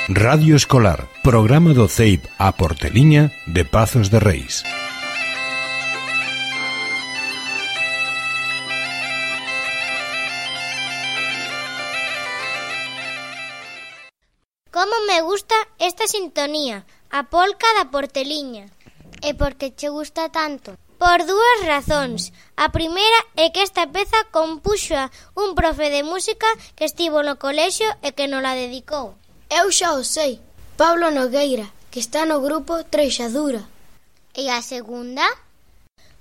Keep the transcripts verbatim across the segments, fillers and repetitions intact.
Radio Escolar, programa do C E I P a Porteliña de Pazos de Reis. Como me gusta esta sintonía, a polca da Porteliña. E por que che gusta tanto? Por dúas razóns. A primeira é que esta peza compuxa un profe de música que estivo no colexio e que nola dedicou. Eu xa o sei, Pablo Nogueira, que está no grupo Treixadura. E a segunda?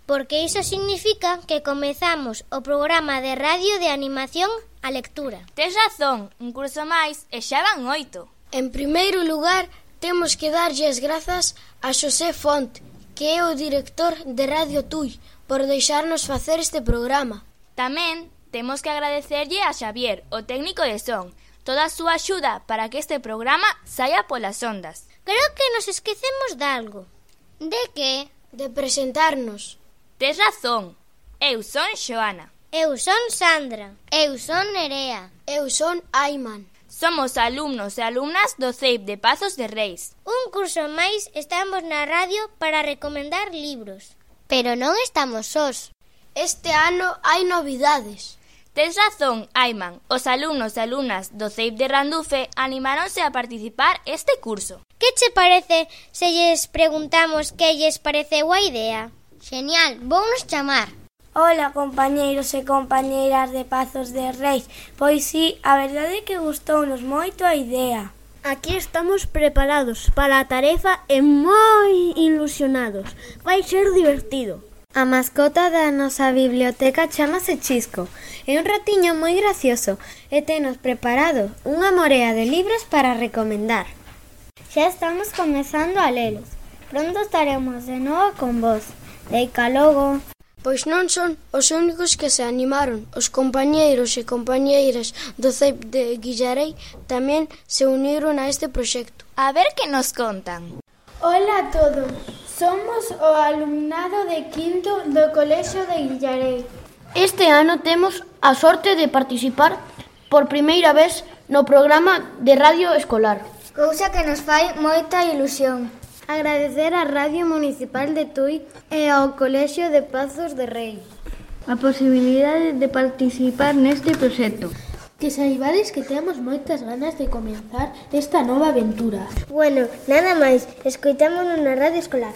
Porque iso significa que comezamos o programa de radio de animación a lectura. Tes razón, un curso máis e xa van oito. En primeiro lugar, temos que darlle as grazas a Xosé Font, que é o director de Radio Tui, por deixarnos facer este programa. Tamén temos que agradecerlle a Xavier, o técnico de son, toda a súa axuda para que este programa saia polas ondas. Creo que nos esquecemos de algo. De que? De presentarnos. Tes razón. Eu son Xoana. Eu son Sandra. Eu son Nerea. Eu son Ayman. Somos alumnos e alumnas do C E I P de Pazos de Reis. Un curso máis estamos na radio para recomendar libros. Pero non estamos sós. Este ano hai novidades. Tes razón, Ayman. Os alumnos e alumnas do C E I P de Randufe animáronse a participar este curso. Que che parece se lles preguntamos que lles pareceu a idea? Genial, vounos chamar. Ola, compañeiros e compañeiras de Pazos de Reis. Pois sí, a verdade é que gustounos moito a idea. Aquí estamos preparados para a tarefa e moi ilusionados. Vai ser divertido. A mascota da nosa biblioteca chamase Chisco. É un ratiño moi gracioso e tenos preparado unha morea de libros para recomendar. Xa estamos comezando a lelos. Pronto estaremos de novo con vos. Deica logo. Pois non son os únicos que se animaron. Os compañeiros e compañeiras do C E I P de Guillarei tamén se uniron a este proxecto. A ver que nos contan. Ola a todos. Somos o alumnado de quinto do Colexio de Guillarei. Este ano temos a sorte de participar por primeira vez no programa de radio escolar. Cousa que nos fai moita ilusión. Agradecer á Radio Municipal de Tui e ao Colexio de Pazos de Reis a posibilidade de participar neste proxecto. Que saibades que temos moitas ganas de comenzar esta nova aventura. Bueno, nada máis, escoitámonos na radio escolar.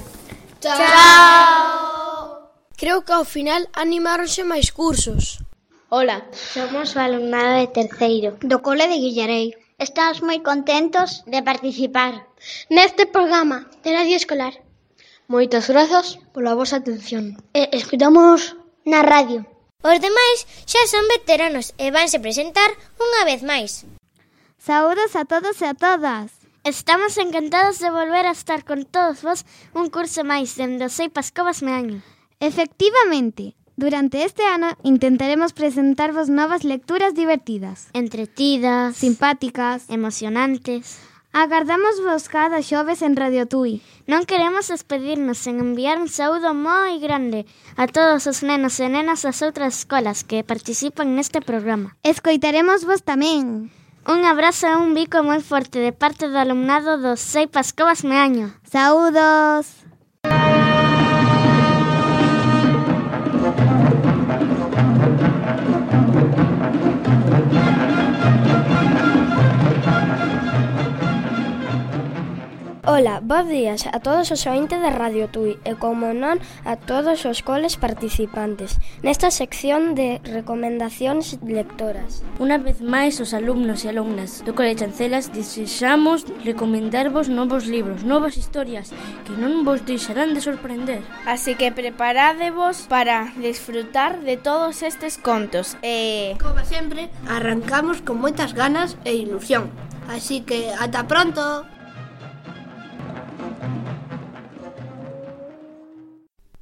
Chao! Creo que ao final animáronse máis cursos. Ola, somos o alumnado de terceiro do Cole de Guillarei. Estamos moi contentos de participar neste programa de radio escolar. Moitas grazas pola vosa atención. E escoitamos na radio. Os demais xa son veteranos e vanse presentar unha vez máis. Saúdos a todos e a todas. Estamos encantados de volver a estar con todos vos un curso máis dende o C E I P As Covas Meaño. Efectivamente, durante este ano intentaremos presentarvos novas lecturas divertidas, entretidas, simpáticas, emocionantes. Agardamos vos cada xoves en Radio Tui. Non queremos despedirnos sen enviar un saúdo moi grande a todos os nenos e nenas das outras escolas que participan neste programa. Escoitaremos vos tamén. Un abrazo e un bico moi forte de parte do alumnado do C E I P As Covas Meaño. Saúdos! Ola, bos días a todos os ointes de Radio Tui e, como non, a todos os coles participantes nesta sección de recomendacións lectoras. Unha vez máis, os alumnos e alumnas do Cole Chancelas desexamos recomendarvos novos libros, novas historias que non vos deixarán de sorprender. Así que preparádevos para disfrutar de todos estes contos e... Como sempre, arrancamos con moitas ganas e ilusión. Así que, ata pronto!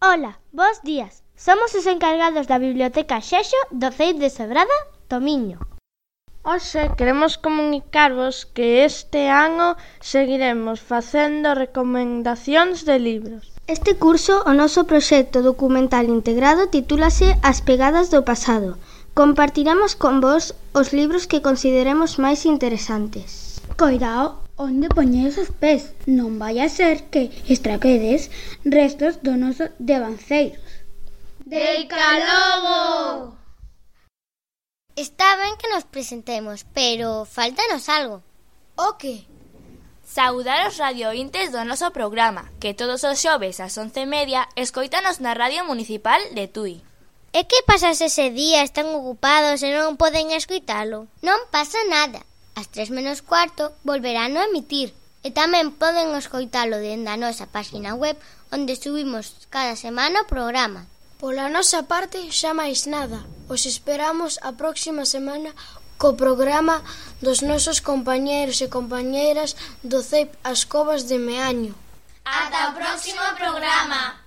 Ola, bos días. Somos os encargados da Biblioteca Xexo do C E I P de Sobrada, Tomiño. Hoxe queremos comunicarvos que este ano seguiremos facendo recomendacións de libros. Este curso, o noso proxecto documental integrado, titúlase As pegadas do pasado. Compartiremos con vos os libros que consideremos máis interesantes. Coirao, onde poñedes os pés. Non vai a ser que estraquedes restos do noso devanceiros. Deica logo! Está ben que nos presentemos, pero faltanos algo. O que? Saudar os radiointes do noso programa, que todos os xoves ás once e media escoítanos na Radio Municipal de Tui. E que pasa se ese día están ocupados e non poden escoitalo? Non pasa nada. Ás tres menos cuarto volverán a emitir. E tamén poden escoitalo dende a nosa página web, onde subimos cada semana o programa. Pola nosa parte, xa máis nada. Os esperamos a próxima semana co programa dos nosos compañeiros e compañeiras do C E I P As Covas de Meaño. Ata o próximo programa!